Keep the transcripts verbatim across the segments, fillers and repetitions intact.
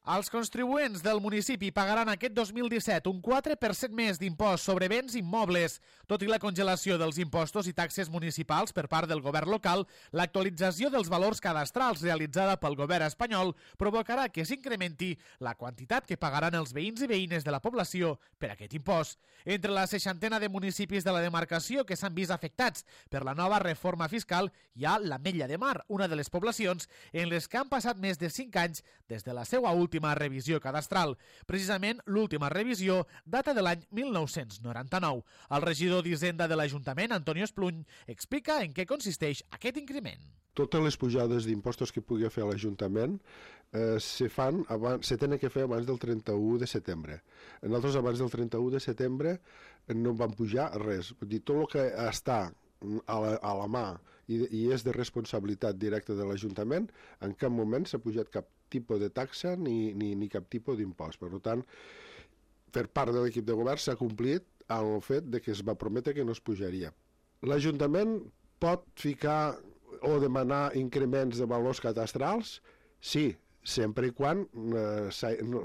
Els contribuents del municipi pagaran aquest dos mil disset un quatre per cent més d'impost sobre béns immobles. Tot i la congelació dels impostos i taxes municipals per part del govern local, l'actualització dels valors cadastrals realitzada pel govern espanyol provocarà que s'incrementi la quantitat que pagaran els veïns i veïnes de la població per aquest impost. Entre la seixantena de municipis de la demarcació que s'han vist afectats per la nova reforma fiscal hi ha l'Ametlla de Mar, una de les poblacions en les que han passat més de cinc anys des de la seva última última revisió cadastral. Precisament, l'última revisió data de l'any mil nou-cents noranta-nou. El regidor d'Hisenda de l'Ajuntament, Antonio Espluny, explica en què consisteix aquest increment. Totes les pujades d'impostos que pugui fer l'Ajuntament eh, se fan abans, se tenen que fer abans del trenta-u de setembre. Nosaltres abans del trenta-u de setembre no vam pujar res. Vull dir, tot el que està a la, a la mà i, i és de responsabilitat directa de l'Ajuntament, en cap moment s'ha pujat cap tipus de taxa ni, ni, ni cap tipus d'impost. Per tant, per part de l'equip de govern s'ha complit el fet de que es va prometre que no es pujaria. L'Ajuntament pot ficar o demanar increments de valors cadastrals? Sí, sempre i quan eh,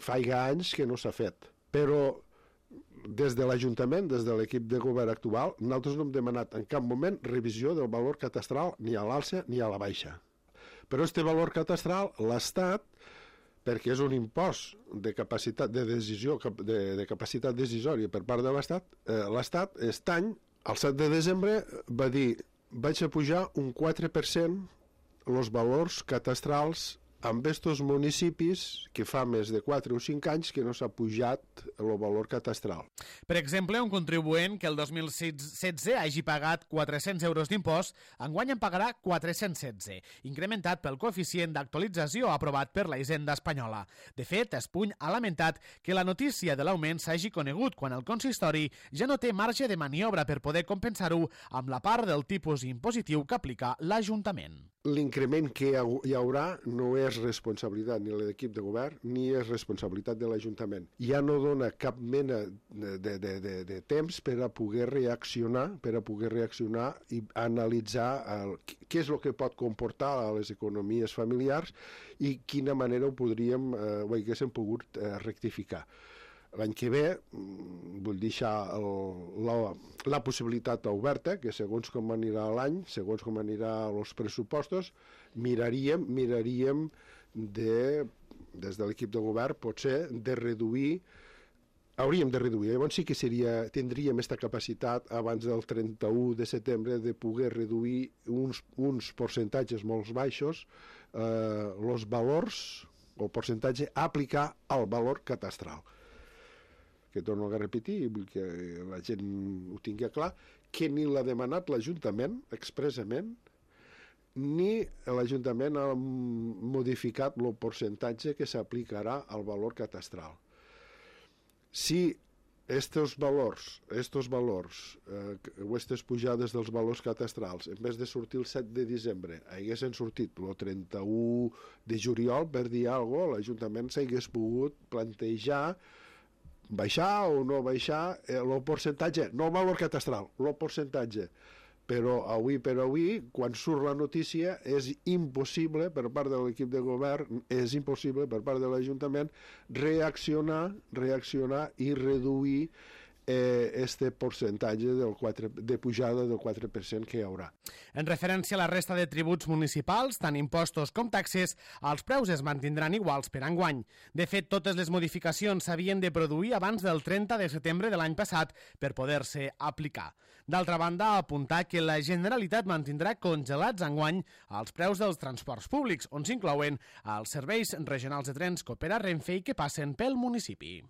faiga anys que no s'ha fet. Però des de l'Ajuntament, des de l'equip de govern actual, nosaltres no hem demanat en cap moment revisió del valor catastral ni a l'alça ni a la baixa. Però aquest valor catastral, l'Estat, perquè és un impost de capacitat de decisió, de, de capacitat decisòria per part de l'Estat, eh, l'Estat, aquest any, el set de desembre, va dir vaig a pujar un quatre per cent els valors catastrals amb estos municipis que fa més de quatre o cinc anys que no s'ha pujat el valor catastral. Per exemple, un contribuent que el dos mil setze hagi pagat quatre-cents euros d'impost, enguany en pagarà quatre-cents setze, incrementat pel coeficient d'actualització aprovat per la Hisenda espanyola. De fet, Espuny ha lamentat que la notícia de l'augment s'hagi conegut quan el consistori ja no té marge de maniobra per poder compensar-ho amb la part del tipus impositiu que aplica l'Ajuntament. L'increment que hi haurà no és responsabilitat ni de l'equip de govern ni és responsabilitat de l'Ajuntament. Ja no dona cap mena de, de, de, de, de temps per a poder reaccionar, per a poder reaccionar i analitzar el, què és el que pot comportar a les economies familiars i quina manera ho podríem, eh, ho haguéssim pogut eh, rectificar. L'any que ve vull deixar el, la, la possibilitat oberta que segons com anirà l'any, segons com anirà els pressupostos, miraríem, miraríem de, des de l'equip de govern potser de reduir, hauríem de reduir, llavors sí que seria, tindríem aquesta capacitat abans del trenta-u de setembre de poder reduir uns, uns percentatges molt baixos eh, els valors, el percentatge a aplicar al valor catastral. Que torno a repetir i vull que la gent ho tingui clar, que ni l'ha demanat l'Ajuntament expressament, ni l'Ajuntament ha modificat el percentatge que s'aplicarà al valor catastral. Si estos valors, estos valors eh, o aquestes pujades dels valors catastrals, en vez de sortir el set de desembre, haguessin sortit el trenta-u de juliol, per dir alguna cosa, l'Ajuntament s'hagués pogut plantejar baixar o no baixar el percentatge, no el valor catastral, el percentatge. Però avui per avui, quan surt la notícia, és impossible per part de l'equip de govern, és impossible per part de l'Ajuntament reaccionar, reaccionar i reduir eh, este percentatge del quatre, de pujada del quatre per cent que hi haurà. En referència a la resta de tributs municipals, tant impostos com taxes, els preus es mantindran iguals per enguany. De fet, totes les modificacions s'havien de produir abans del trenta de setembre de l'any passat per poder-se aplicar. D'altra banda, apuntar que la Generalitat mantindrà congelats enguany els preus dels transports públics, on s'inclouen els serveis regionals de trens que opera Renfe i que passen pel municipi.